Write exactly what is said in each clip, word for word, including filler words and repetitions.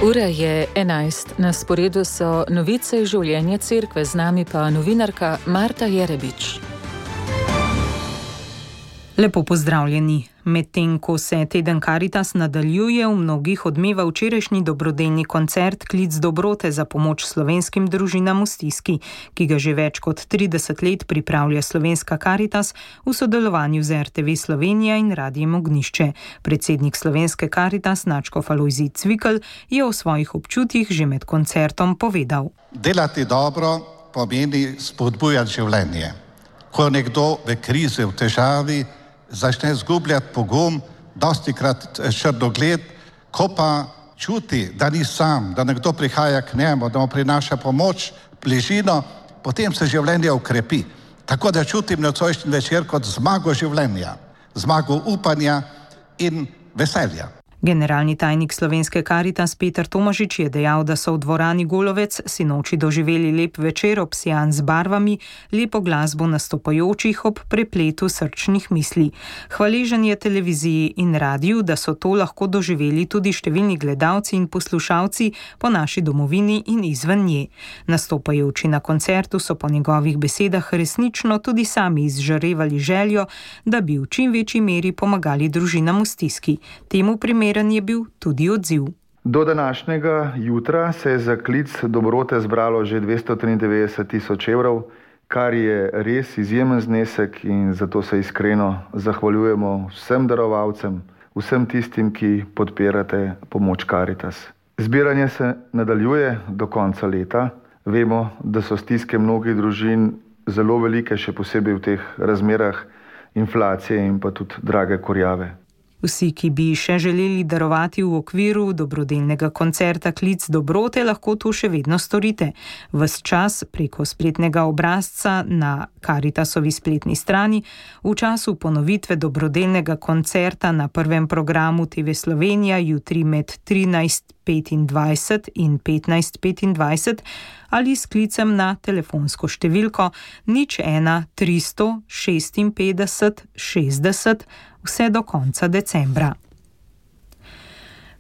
Ura je enajst, na sporedu so novice iz življenja cerkve, z nami pa novinarka Marta Jerebič. Lepo pozdravljeni. Medtem ko se teden Karitas nadaljuje, v mnogih odmeva včerajšnji dobrodelni koncert Klic dobrote za pomoč slovenskim družinam v stiski, ki ga že več kot trideset let pripravlja Slovenska Karitas v sodelovanju z er te ve Slovenija in Radiem Ognjišče. Predsednik Slovenske Karitas Nadškof Alojzij Cvikl je o svojih občutjih že med koncertom povedal. Delati dobro pomeni spodbujati življenje. Ko nekdo v krizi, v težavi, začne zgubljati pogum, dostikrat črnogled, ko pa čuti, da ni sam, da nekdo prihaja k njemu, da mu prinaša pomoč, bližino, potem se življenje ukrepi. Tako da čutim nocojšnji večer kot zmago življenja, zmago upanja in veselja. Generalni tajnik Slovenske Karitas Peter Tomažič je dejal, da so v dvorani Golovec sinoči doživeli lep večer obsijan z barvami, lepo glasbo nastopajočih ob prepletu srčnih misli. Hvaležen je televiziji in radiju, da so to lahko doživeli tudi številni gledalci in poslušalci po naši domovini in izven nje. Nastopajoči na koncertu so po njegovih besedah resnično tudi sami izžarevali željo, da bi v čim večji meri pomagali družinam v stiski. Temu primeru je bil tudi odziv. Do današnjega jutra se je za Klic dobrote zbralo že dvesto triindevetdeset tisoč evrov, kar je res izjemen znesek in zato se iskreno zahvaljujemo vsem darovalcem, vsem tistim, ki podpirate pomoč Karitas. Zbiranje se nadaljuje do konca leta. Vemo, da so stiske mnogih družin zelo velike, še posebej v teh razmerah inflacije in pa tudi drage kurjave. Vsi, ki bi še želeli darovati v okviru dobrodelnega koncerta Klic dobrote, lahko to še vedno storite. Ves čas preko spletnega obrazca na Karitasovi spletni strani, v času ponovitve dobrodelnega koncerta na prvem programu te ve Slovenija jutri med trinajst petindvajset in petnajst petindvajset ali s klicem na telefonsko številko nič ena tristo šestinpetdeset šestdeset vse do konca decembra.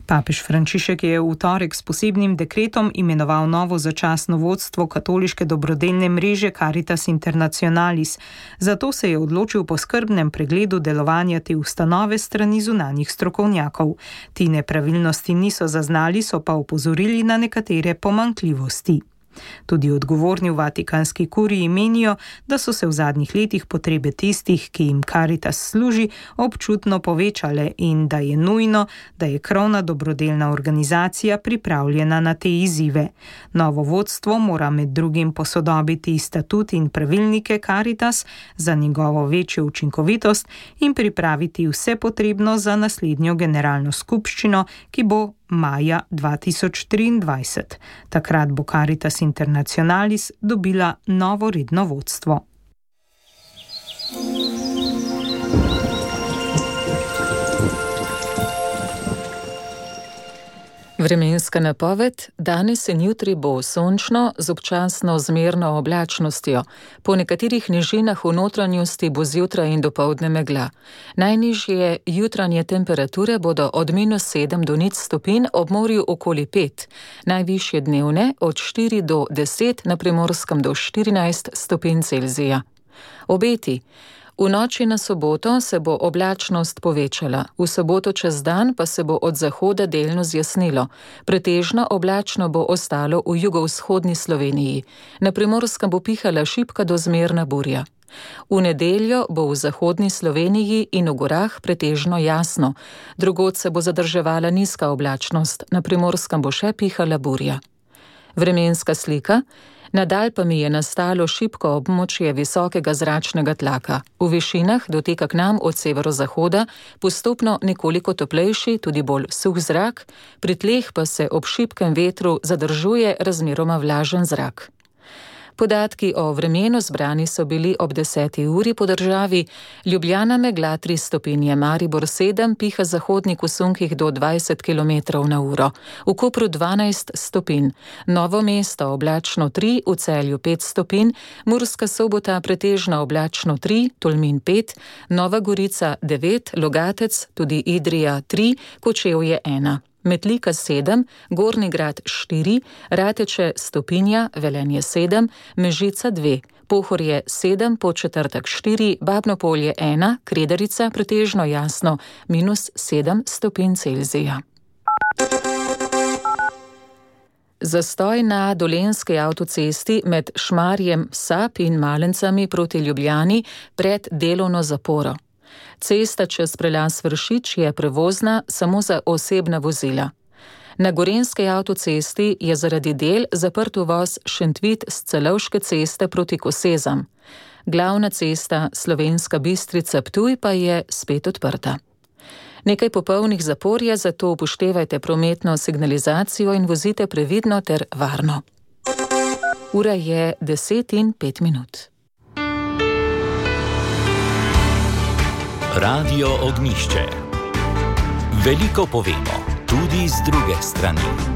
Papež Frančišek je v torek s posebnim dekretom imenoval novo začasno vodstvo katoliške dobrodelne mreže Caritas Internationalis. Zato se je odločil po skrbnem pregledu delovanja te ustanove strani zunanjih strokovnjakov. Ti nepravilnosti niso zaznali, so pa opozorili na nekatere pomanjkljivosti. Tudi odgovorni v Vatikanski kuriji menijo, da so se v zadnjih letih potrebe tistih, ki jim Karitas služi, občutno povečale in da je nujno, da je krovna dobrodelna organizacija pripravljena na te izzive. Novo vodstvo mora med drugim posodobiti statut in pravilnike Karitas za njegovo večjo učinkovitost in pripraviti vse potrebno za naslednjo generalno skupščino, ki bo maja dva tisoč triindvajset. Takrat bo Caritas Internationalis dobila novo redno vodstvo. Vremenska napoved: danes in jutri bo sončno z občasno zmerno oblačnostjo. Po nekaterih nižinah v notranjosti bo zjutraj in dopoldne megla. Najnižje jutranje temperature bodo od minus sedem do nič stopinj, ob morju okoli pet. Najvišje dnevne od štiri do deset, na Primorskem do štirinajst stopinj Celzija. Obeti: v noči na soboto se bo oblačnost povečala, v soboto čez dan pa se bo od zahoda delno zjasnilo. Pretežno oblačno bo ostalo v jugovzhodni Sloveniji. Na Primorskem bo pihala šibka do zmerna burja. V nedeljo bo v zahodni Sloveniji in v gorah pretežno jasno. Drugod se bo zadrževala nizka oblačnost, na Primorskem bo še pihala burja. Vremenska slika: nad Alpami je nastalo šibko območje visokega zračnega tlaka. V višinah doteka k nam od severozahoda postopno nekoliko toplejši, tudi bolj suh zrak, pri tleh pa se ob šibkem vetru zadržuje razmeroma vlažen zrak. Podatki o vremenu zbrani so bili ob deseti uri po državi. Ljubljana megla tri stopinje, Maribor sedem, piha zahodnik v sunkih do dvajset kilometrov na uro. V Kopru dvanajst stopinj, Novo mesto oblačno tri, v Celju pet stopinj, Murska Sobota pretežno oblačno tri, Tolmin pet, Nova Gorica devet, Logatec, tudi Idrija tri, Kočevje ena. Metlika sedem, Gornji Grad štiri, Rateče Stopinja, Velenje sedem, Mežica dve, Pohorje sedem, Podčetrtek štiri, Babno Polje ena, Kredarica pretežno jasno, minus sedem stopinj Celzija. Zastoj na Dolenjski avtocesti med Šmarjem Sap in Malencami proti Ljubljani pred delovno zaporo. Cesta čez prelaz Vršič je prevozna samo za osebna vozila. Na Gorenjski avtocesti je zaradi del zaprt uvoz Šentvid s Celovške ceste proti Kosezam. Glavna cesta Slovenska Bistrica-Ptuj pa je spet odprta. Nekaj popolnih zapor je, zato upoštevajte prometno signalizacijo in vozite previdno ter varno. Ura je deset in pet minut. Radio Ognjišče. Veliko povemo, tudi z druge strani.